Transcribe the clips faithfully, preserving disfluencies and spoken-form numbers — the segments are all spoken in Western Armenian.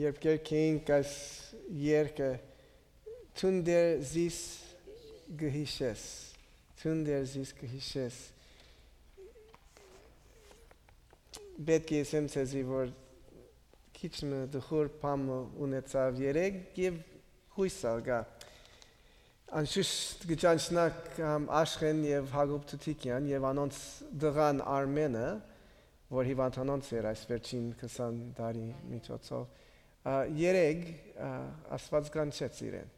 Երբ կերկեինք այս երկը, «Դուն դեռ զիս կը յիշես, դուն դեռ զիս կը յիշես»։ Պէտք է ըսեմ ձեզի, որ քիչ մը տխուր բան մը ունեցաւ երեկ եւ յոյս ալ կայ։ Անշուշտ կը ճանչնաք, ամ, Աշխէն եւ Յակոբ Թութիկեան եւ անոնց տղան Արմէնը, որ հիւանդանոց էր այս վերջին քսան տարի միջոցով։ Ա, երեկ, ա, Աստուած կանչեց իրեն։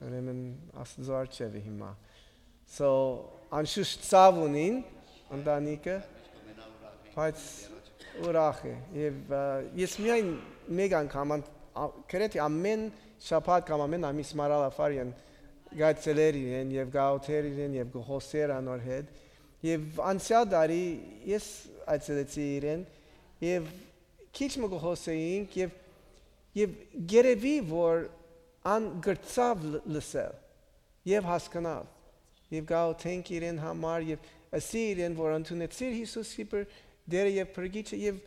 Ուրեմն Աստուծոյ առջեւը հիմա։ So, անշուշտ ցաւ ունին ընտանիքը, բայց ուրախ է։ Եւ, ա, ես միայն մեկ անգամ, ան-, ա, գրեթէ ամէն շաբաթ կամ ամէն ամիս Մարալա Ֆարիան գայցելեր իրեն եւ գաութեր իրեն եւ գոհոսեր անոր հետ։ Եւ անցեալ տարի ես այցելեցի իրեն եւ քիչ մը գոհոսեինք եւ, եւ գերեւի որ ան գրծաւ լ-, լսել եւ հասկնալ, եւ գաութենք իրեն համար, եւ ըսի իրեն, որ ընդունեցիր Յիսուս Սիպր Տէրը եւ Փրկիչը, եւ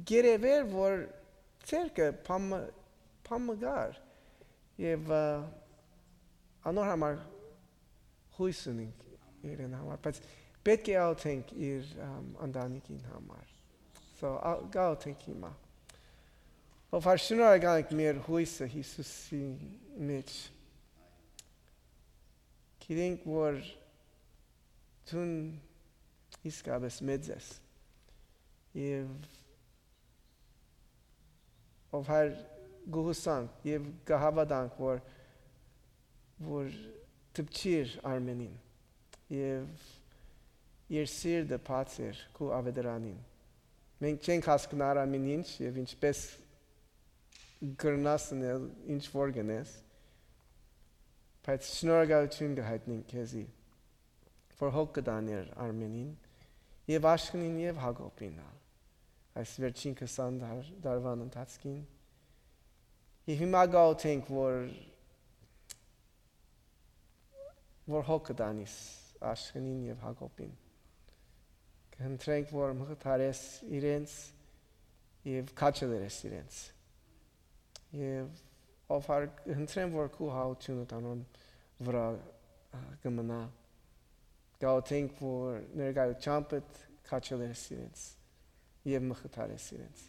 գերեւեր, որ ցերկը փամը, փամը գար, եւ, ա, անոր համար յոյս ունենք իրեն համար, բայց պէտք է աղօթենք իր, ամ, ընտանիքին համար։ So, ա-, կաղօթենք հիմա։ Ով հար շնորհակալ ենք մեր յոյսը Յիսուսի մեջ։ Գիտենք, որ դուն իսկապես մեծ ես։ Եւ ով հար գուհուսանք եւ կհաւատանք, որ, որ դպչիր Արմենին եւ իր սիրտը բաց էր քու աւետարանին։ Մենք չենք հասկնար ամեն ինչ եւ ինչպես կրնաս ընել, ինչ որ կ'ընես, բայց շնորհակալութիւն կը յայտնենք քեզի, որ հոգ կը տանիր Արմենին եւ Աշխենին եւ Յակոբին ալ այս վերջին քսան դար-, դարուան ընթացքին։ Եւ հիմա կ'աղօթենք, որ, որ հոգ կը տանիս Աշխենին եւ Յակոբին։ Կ'ընտրենք, որ մխիթարես իրենց եւ քաջալերես իրենց։ Եւ ով հար-, կ'ընտրեմ, որ քու հաութիւնը անոնց վրայ, ա, կը մնայ։ Կ'աղօթենք, որ ներկայութեամբդ քաջալերես իրենց եւ մխիթարես իրենց։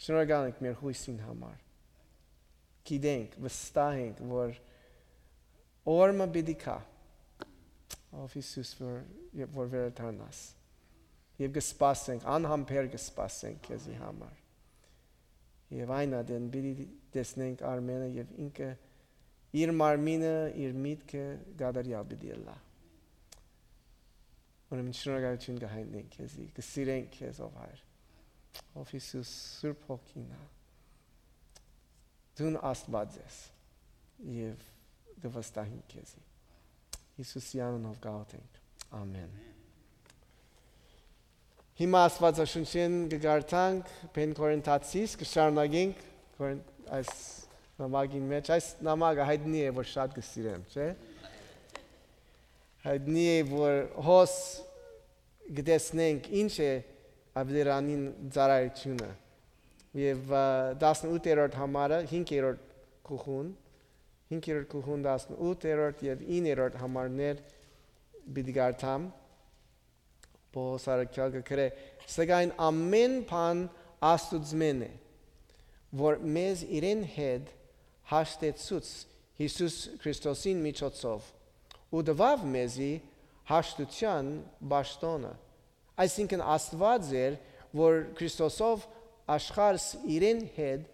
Շնորհակալ ենք մեր յոյսին համար։ Գիտենք, վստահ ենք, որ օր մը պիտի գայ, ով Յիսուս, որ, որ վերադառնաս։ Եւ կը սպասենք, անհամբեր կը սպասենք քեզի համար։ Եւ այն ատեն պիտի տեսնենք Արմենը եւ ինքը իր մարմինը, իր միտքը կատարեալ պիտի ըլլայ։ Ուրեմն շնորհակալութիւն կը յայտնենք քեզի, կը սիրենք քեզ, ով Հայր, ով Յիսուս, Սուրբ Հոգին ա։ Դուն Աստուած ես եւ կը վստահենք քեզի։ Յիսուսի անունով կ'աղօթենք։ Ամեն։ Հիմա Աստուածաշունչէն կը կարդանք Բեն Կորինթացիս, կը շարունակենք Կորին-, այս նամակին մեջ։ Այս նամակը յայտնի է, որ շատ կը սիրեմ, չէ՞։ Յայտնի է, որ հոս կը տեսնենք ինչ է աւետարանին ծառայութիւնը։ Եւ, ա, տասնութերորդ համարը, հինգերորդ գլխուն, հինգերորդ գլխուն տասնութերորդ եւ իններորդ համարներ պիտի կարդամ։ Պողոս առաքեալ կը գրէ. «Սակայն ամէն բան Աստուծմէն է, որ մեզ իրեն հետ հաշտեցուց Յիսուս Քրիստոսին միջոցով ու տուաւ մեզի հաշտութեան պաշտօնը»։ Այսինքն, Աստուած էր, որ Քրիստոսով աշխարհս իրեն հետ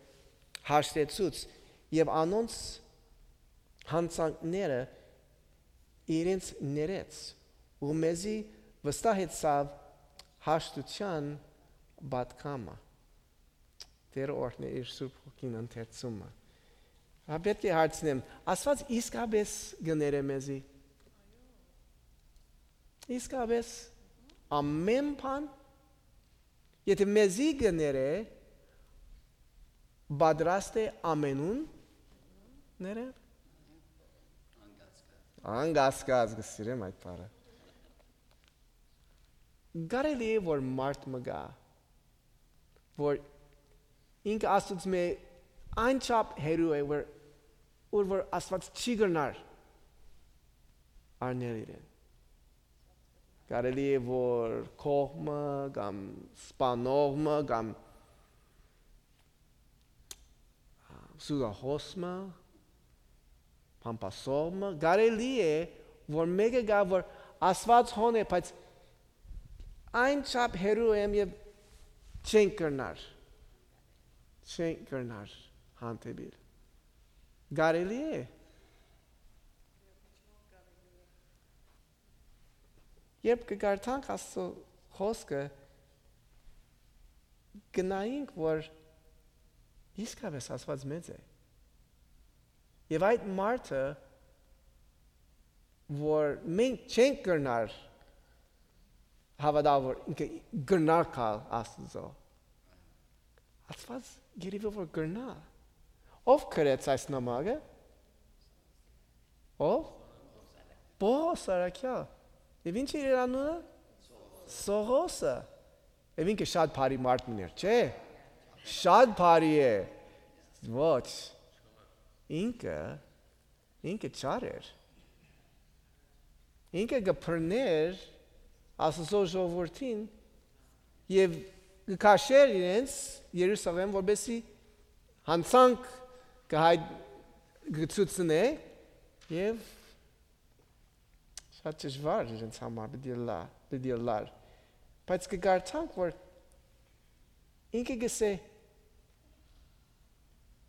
հաշտեցուց եւ անոնց յանցանքները իրենց ներեց ու մեզի վստահեցաւ հաշտութեան պատգամը։ Տէր օրհնէ իր Սուրբ Հոգին ընթերցումը։ Հա, պէտք է հարցնեմ, Աստուած իսկապես կը ներէ մեզի։ Իսկապես ամէն բան, եթե մեզի կը ներէ, պատրաստ է ամենուն ներել։ Անկասկած կը սիրեմ այդ բառը։ Կարելի է, որ մարդ մը գայ, որ Ինքը Աստուծմէ այնչափ հեռու է, որ, որ, որ Աստուած չի կրնար առնել իրեն։ Կարելի է, որ կողմը կամ սպանողը կամ սուգահոսը, փամփասողը, կարելի է, որ մէկը գայ, որ Աստուած հոն է, բայց այնչափ հեռու եմ եւ չենք կրնար, չենք կրնար հանդիպիլ։ Կարելի է։ Երբ կը կարդանք Աստուծոյ խօսքը, կը նայենք, որ իսկապէս Աստուած մեծ է։ Եւ այդ մարդը, որ մենք չենք կրնար հաւատալ, որ ինքը կրնար գալ Աստուծոյ, Աստուած երբի որ կրնայ։ Ո՞վ գրեց այս նամակը։ Ո՞վ։ Պողոս Առաքեալ։ Եւ ի՞նչ է իր անունը։ Սողոսը։ Եւ ինքը շատ բարի մարդ մըն էր, չէ՞։ Շատ բարի է։ Ոչ։ Ինքը, ինքը չար էր։ Ինքը կը բռներ Աստուծոյ ժողովուրդին եւ կը քաշէր իրենց Երուսաղէմ, որպեսզի յանցանք կը հայ-, կը ցուցնէ եւ շատ դժուար իրենց համար պիտի ըլլայ, պիտի ըլլար։ Բայց կը կարդանք, որ ինքը կ'ըսէ,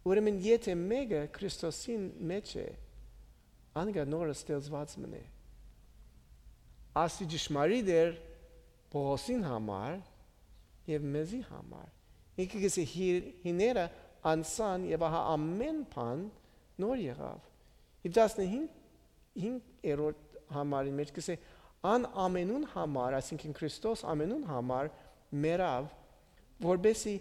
ուրեմն եթէ մէկը Քրիստոսին մէջ է, անկա նոր ստեղծուած մըն է։ Ասի ճշմարիտ էր Պողոսին համար եւ մեզի համար։ Ինքը կ'ըսէ, հի-, հիները անցան եւ ահա ամէն բան նոր եղաւ։ Եւ տասնհինգ, հինգերորդ համարին մէջ կ'ըսէ, ան ամենուն համար, այսինքն Քրիստոս ամենուն համար մեռաւ, որպեսզի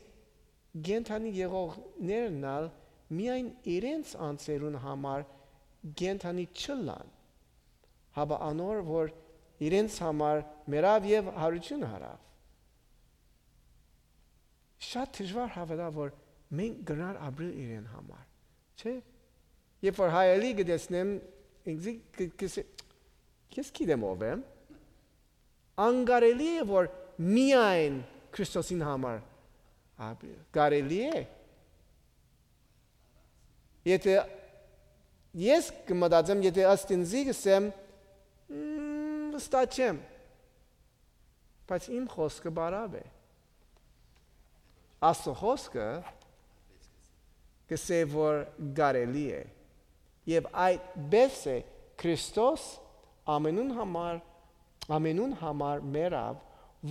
կենդանի եղողներն ալ միայն իրենց անձերուն համար կենդանի չըլլան, հապա անոր, որ իրենց համար մեռաւ եւ յարութիւն առաւ։ Շատ դժուար հաւատալ, որ մենք կրնար ապրել իրեն համար, չէ՞։ Երբ որ հայ Ալի կը տեսնեմ, ինքզի կը, կ'ըսեմ, «Ես գիտեմ ով եմ»։ Անկարելի է, որ միայն Քրիստոսին համար ապրել։ Կարելի՞ է։ Եթէ ես կը մտածեմ, եթէ ըստ ինձի կ'ըսեմ, «Մմ, վստահ չեմ»։ Բայց իմ խօսքը բարաւ է։ Աստուծոյ խօսքը կ'ըսէ, որ կարելի է։ Եւ այդպէս է Քրիստոս ամենուն համար, ամենուն համար մեռաւ,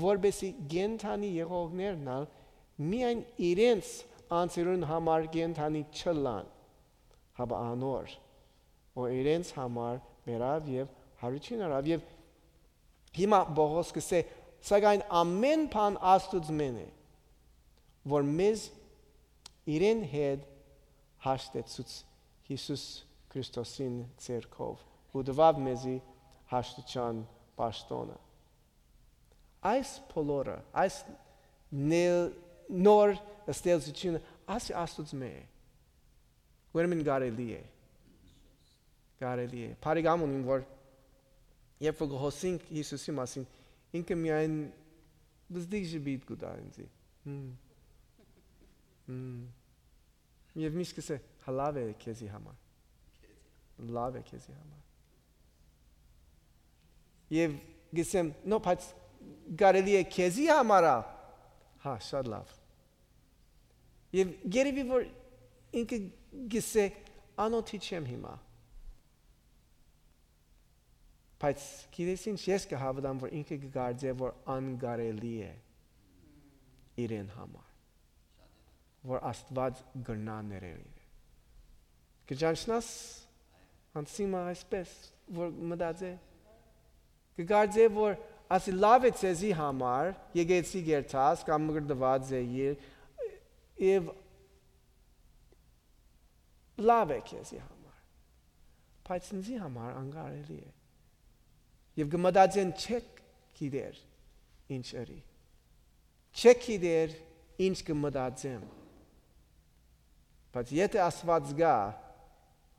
որպեսզի կենդանի եղողներն ալ միայն իրենց անձերուն համար կենդանի չըլլան, հապա անոր, որ իրենց համար մեռաւ եւ յարութիւն առաւ։ Եւ հիմա Պողոս կ'ըսէ, սակայն ամէն բան Աստուծմէն է, որ մեզ իրեն հետ հաշտեցուց Յիսուս Քրիստոսին ձեռքով ու տուաւ մեզի հաշտութեան պաշտօնը։ Այս բոլորը, այս նել-, նոր ստեղծութիւնը, ասի Աստուծմէ է։ Ուրեմն կարելի է։ Կարելի է։ Բարեկամ ունին, որ երբ որ կը խօսենք Յիսուսի մասին, ինքը միայն վզդիկ ժպիտ կու տայ ինձի։ Հմ։ Հմ։ Եւ միշտ կ'ըսէ, «Հա, լաւ է քեզի համար։ Լաւ է քեզի համար»։ Եւ կ'ըսեմ, «Նո, բայց կարելի է քեզի համար ա»։ «Հա, շատ լաւ»։ Եւ երևի որ ինքը կ'ըսէ, «Անօթի չեմ հիմա»։ Բայց գիտես ինչ, ես կը հաւատամ, որ ինքը կը կարծէ, որ անկարելի է իրեն համար, որ Աստուած կրնայ ներել իրեն։ Կը ճանչնաս անցի մը այսպես, որ մտածէ, կը կարծէ, որ ասի, «Լաւ է ձեզի համար, եկեցի գերտաս կամ մկրտուած է իր, եւ լաւ է քեզի համար, բայց ինձի համար անկարելի է»։ Եւ կը մտածեն, չեք գիտեր ինչ ըրի, չեք գիտեր ինչ կը մտածեմ, Բայց եթէ Աստուած կայ,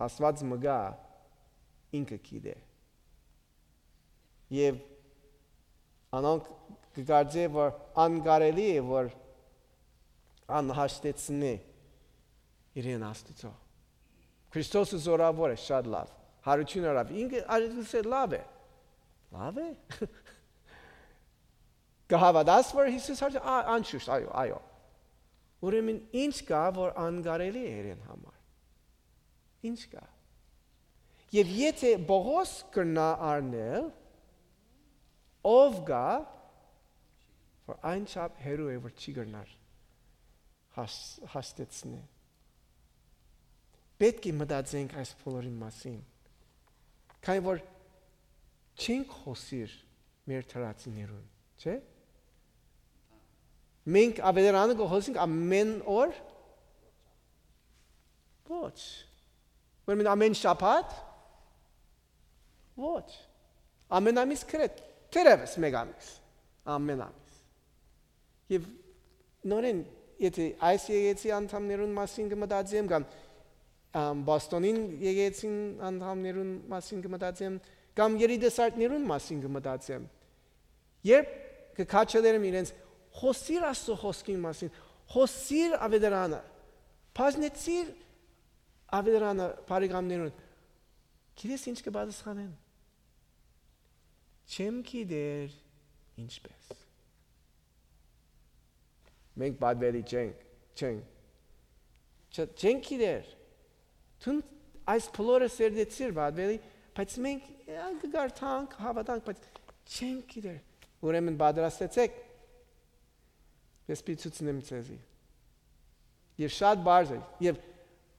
Աստուած մը կայ, ինքը գիտէ։ Եւ անոնք կը կարծէ որ անկարելի է որ անհաշտեցնէ իրեն Աստուծոյ։ Քրիստոսը զօրաւոր է, շատ լաւ։ Յարութիւն առաւ։ Ինքը ա-, ըսէ, լաւ է։ Լաւ է։ Կը հաւատա՞ս որ Յիսուս յարութիւն, ա-, անշուշտ, այո, այո։ Ուրեմն ի՞նչ կայ որ անկարելի է իրեն համար։ Ի՞նչ կայ։ Եւ եթէ Պողոս կրնայ առնել, ո՞վ կայ որ այն չափ հեռու է որ չի կրնար հաս-, հաստեցնե։ Պէտք է մտածենք այս բոլորին մասին, քանի որ չենք խօսիր մեր դրացիներուն, չէ՞։ Մենք աւետարանը կը խօսենք ամեն օր։ Ոչ։ Ուրեմն ամեն շաբաթ։ Ոչ։ Ամեն ամիս գրեթ, թերեւս մեկ ամիս։ Ամեն ամիս։ Եւ նորեն, եթէ այս եկեցի անդամներուն մասին կը մտածեմ, կամ, ամ, Բոստոնին եկեցին անդամներուն մասին կը մտածեմ, կամ երիտասարդներուն մասին կը մտածեմ, երբ կը քաջալերեմ իրենց, խօսիր Աստծո խօսքին մասին, խօսիր աւետարանը, բաժնեցիր աւետարանը բարեկամներուն, գիտես ինչ կը պատասխանեն։ Չեմ գիտեր ինչպես։ Մենք պատվելի չենք, չենք։ Չ-, չենք գիտեր։ Դուն այս բոլորը սերտեցիր, պատվելի, բայց մենք, ա, կը կարդանք, հաւատանք, բայց չենք գիտեր։ Ուրեմն պատրաստեցեք, ես պիտի ցուցնեմ ձեզի։ Եւ շատ բարձ է, եւ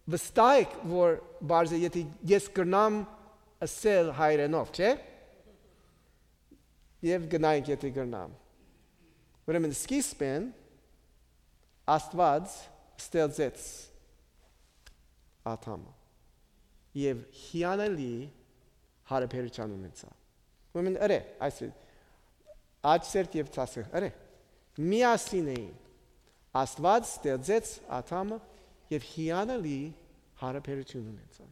վստահ եք որ բարձ է, եթէ ես կրնամ ըսել հայերենով, չէ՞։ Եւ գնայինք, եթէ կրնամ։ Ուրեմն սկիզբէն Աստուած ստեղծեց Ադամը եւ հիանալի յարաբերութիւն ունեցաւ։ Ուրեմն ըրէ, այս է, աջ սերտ եւ ցասը, ըրէ, միասին էին։ Աստուած ստեղծեց Ադամը եւ հիանալի յարաբերութիւն ունեցան։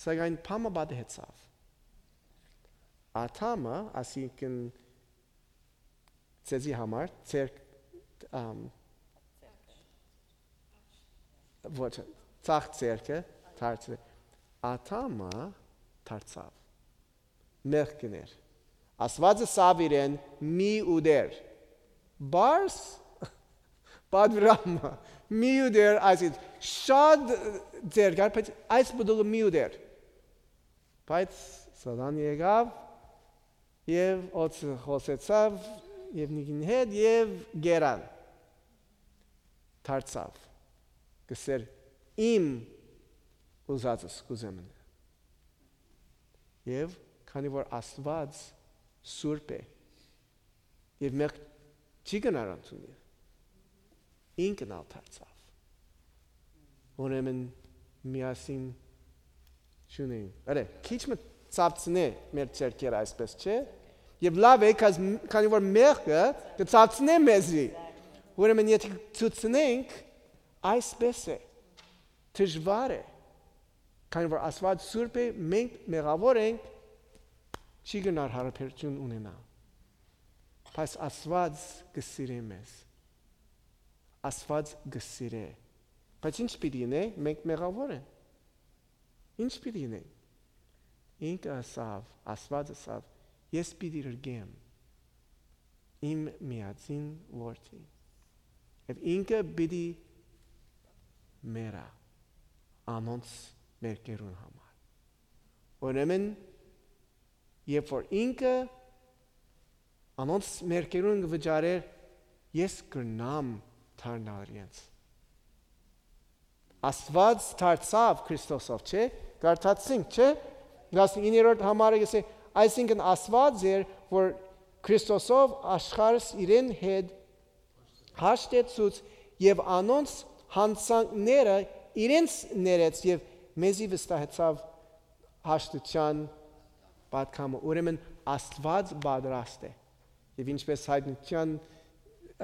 Սակայն բան մը պատահեցաւ։ Ադամը, այսինքն ձեզի համար, ձեր, ամ, ոչ, ցախ ձերքը, դարձ-, Ադամը դարձաւ։ Մեղքն էր։ Աստուածը սավ իրեն՝ «Մի ուտեր»։ Բարձ պատվիրամը, «Մի ուտեր», այսինքն շատ ձեր կար, բայց այս պտուղը մի ուտեր։ Բայց Սատան եկաւ եւ օծը խօսեցաւ եւ նիկին հետ եւ գերան դարձաւ, կսեր, «Իմ ուզածս կ'ուզեմ ընել»։ Եւ քանի որ Աստուած սուրբ է, եւ մեղք չի կրնար ընդունիլ, ինքն ալ դարձաւ։ Ուրեմն միասին չունենք։ Արե, քիչ մը ցածնէ մեր ձեռքերը, այսպես չէ՞։ Եւ լաւ է, քազ-, քանի որ մեղքը կը ցածնէ մեզի։ Ուրեմն եթե ցուցնենք, այսպես է, դժուար է, քանի որ Աստուած սուրբ է, մենք մեղավոր ենք, չի գնար հարաբերություն ունենալ։ Բայց Աստուած կը սիրէ մեզ։ Աստուած կը սիրէ։ Բայց ինչ պիտի ինենք, մենք մեղավոր ենք։ Ինչ պիտի ինենք։ Ինքը ըսաւ, Աստուած ըսաւ, «Ես պիտի րկեմ իմ միածին որդին, եւ ինքը պիտի մեռայ անոնց մեղքերուն համար»։ Ուրեմն, երբ որ ինքը անոնց մեղքերուն կը վճարէր, ես կրնամ դառնալ իրենց։ Աստուած դարձաւ Քրիստոսով, չէ՞։ Կարդացինք, չէ՞։ Տասնիններորդ համարը կսէ, այսինքն Աստուած էր, որ Քրիստոսով աշխարհս իրեն հետ հաշտեցուց եւ անոնց յանցանքները իրենց ներեց եւ մեզի վստահեցաւ հաշտութեան պատգամը։ Ուրեմն Աստուած պատրաստ է։ Եւ ինչպես հայտնության,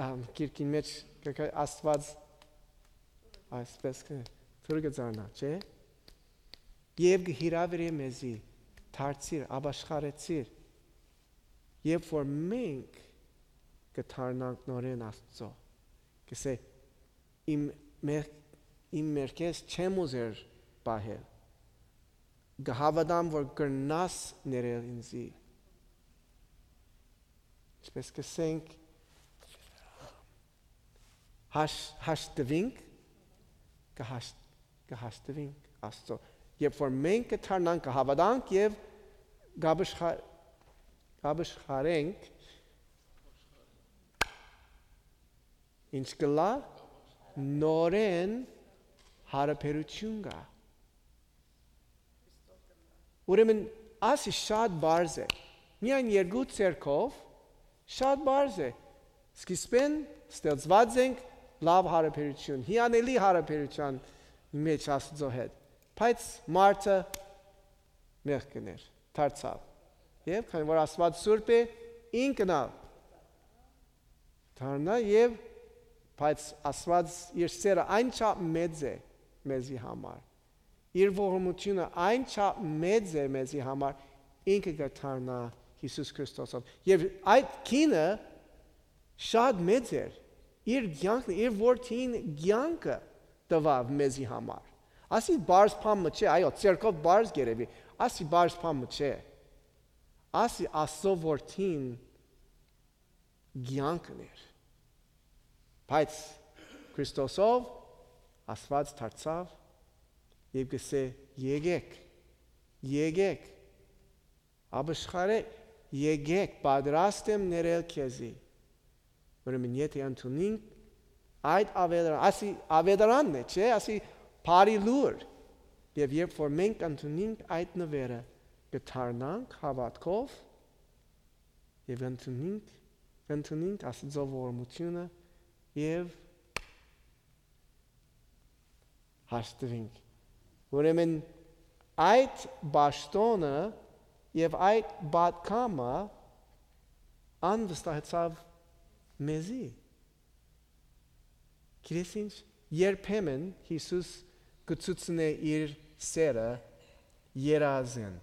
ամ, գիրքին մեջ կը գայ, Աստուած Այսպես կը, թուրքը ձարնայ, չէ՞։ Եւ կը հրաւիրէ մեզի, դարձիր, ապաշխարեցիր, երբ որ մենք կը դառնանք նորէն Աստուծոյ։ Կ'ըսէ, իմ մեղ-, իմ մեղքերս չեմ ուզեր պահել։ Կը հաւատամ որ կրնաս ներել ինծի։ Ինչպես կ'ըսենք, հաշ-, հաշտուինք, կը հաշ-, կը հաշտուինք Աստուծոյ։ Երբ որ մենք կը դառնանք, կը հաւատանք եւ կ'ապաշխա-, կ'ապաշխարենք, ինչ կ'ըլլայ, նորէն յարաբերութիւն կայ։ Ուրեմն, ասի շատ պարզ է։ Միայն երկու ձեռքով շատ պարզ է։ Սկիզբէն ստեղծուած ենք լաւ յարաբերութիւն, հիանալի յարաբերութեան մէջ Աստուծոյ հետ։ Բայց մարդը մեղք կ'ընէր, դարձաւ։ Եւ քանի որ Աստուած սուրբ է, ինքն ալ դառնայ եւ, բայց Աստուած իր սերը այնչափ մեծ է մեզի համար, իր ողորմութիւնը այնչափ մեծ է մեզի համար, ինքը կը դառնայ Յիսուս Քրիստոսով։ Եւ այդ գինը շատ մեծ էր, իր կեանքն, իր որդին կեանքը տուաւ մեզի համար։ Ասի պարզ բան մը չէ, այո, ձեռքով պարզ կ'երեւի, ասի պարզ բան մը չէ։ Ասի Աստուծոյ որդին կեանքն էր։ Բայց Քրիստոսով Աստուած դարձաւ եւ կ'ըսէ. «Եկեք, եկեք, ապաշխարէ, եկեք, պատրաստ եմ ներել քեզի»։ Ուրեմն, եթէ ընդունինք այդ ավետարանն, ասի ավետարանն է, չէ՞, ասի բարի լուր, եւ երբ որ մենք ընդունինք այդ նուէրը, կը դառնանք հաւատքով եւ ընդունինք, ընդունինք Աստուծոյ ողորմութիւնը եւ հաշտուինք։ Ուրեմն, այդ պաշտոնը եւ այդ պատգամը անվստահեցաւ մեզի։ Գիտես ինչ, երբեմն Յիսուս կը ցուցնէ իր սերը երազին,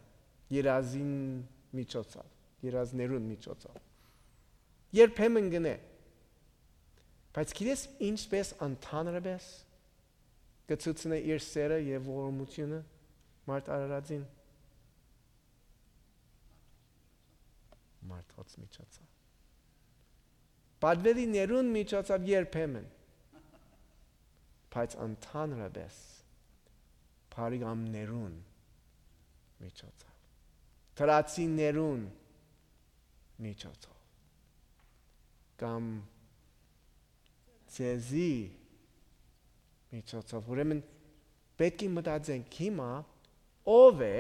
երազին միջոցով, երազներուն միջոցով։ Երբեմն կ'ընէ։ Բայց գիտես ինչպես ընդհանրապես կը ցուցնէ իր սերը եւ ողորմութիւնը մարդ արարածին։ Մարդոց միջոցով։ Պատվելիներուն միջոցով երբեմն, բայց ընդհանրապես բարեկամներուն միջոցով, դրացիներուն միջոցով, կամ ձեզի միջոցով։ Ուրեմն, պէտք է մտածենք հիմա, ո՞վ է,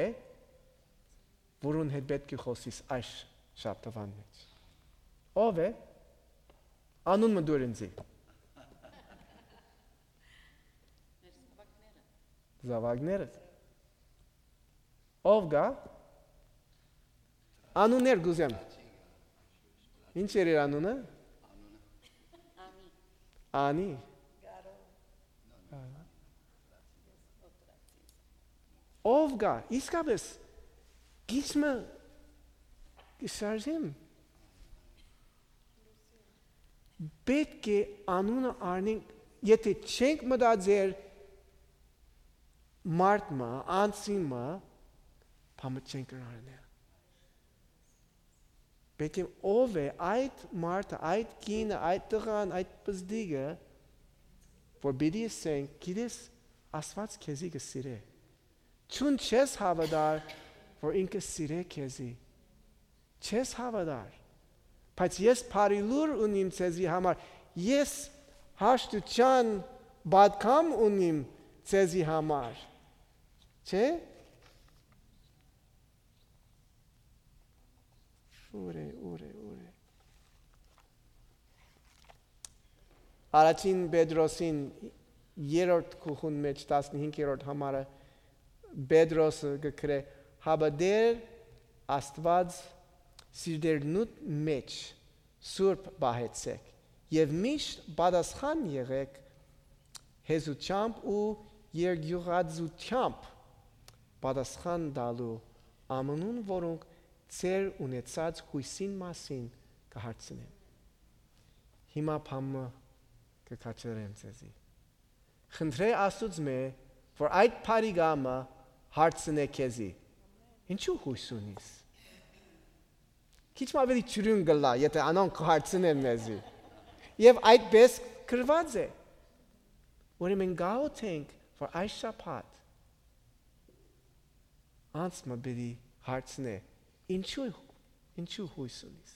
որուն հետ պէտք է խօսիս այս շաբթուան մէջ։ Ո՞վ է։ Անուն մը տուր ինծի։ Զաւակները։ Ո՞վ կայ։ Անուններ կ'ուզեմ։ Ինչ էր իր անունը։ Անի։ Անի։ Ո՞վ կայ, իսկապես, քիչ մը կը շարժեմ։ Պէտք է անունը առնենք, եթէ չենք մտածեր մարդ մը, անձի մը, բան մը չենք կրնար անել։ Պէտք է ով է այդ մարդը, այդ կինը, այդ տղան, այդ պզտիկը, որ պիտի ասենք, գիտես, Աստուած քեզի կը սիրէ։ Չուն չես հաւատար, որ ինքը սիրէ քեզի։ Չես հաւատար։ Բայց ես բարի լուր ունիմ ձեզի համար։ Ես հաշտութեան պատգամ ունիմ ձեզի համար։ Չէ՞։ Ուրե, ուրե, ուրե։ Առաջին Պետրոսին երրորդ գլխուն մէջ, տասնհինգերորդ համարը, Պետրոսը կը գրէ. «Հապա Տէր Աստուած սիրտերնուդ մէջ սուրբ պահեցէք եւ միշտ պատասխան եղէք հեզութեամբ ու երկիւղածութեամբ պատասխան տալու ամենուն, որոնք ձեր ունեցած յոյսին մասին կը հարցնեն։ Հիմա բան մը կը քաջալերեմ ձեզի։ Խնդրէ Աստուծմէ, որ այդ բարի կամը հարցնէ քեզի. «Ինչու յոյս ունիս»։ Քիչ մը աւելի ջուրուն կ'ըլլայ, եթէ անոնք կը հարցնեն մեզի։ Եւ այդպէս գրուած է։ Ուրեմն գաղութենք, որ այս շաբաթ անձ մը պիտի հարցնէ. «Ինչու, ինչու յոյս ունիս»։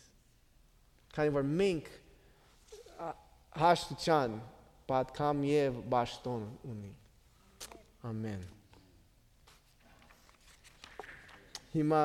Քանի որ մենք, ա, հաշտութեան պատգամ եւ պաշտօն ունենք։ Ամեն։ Հիմա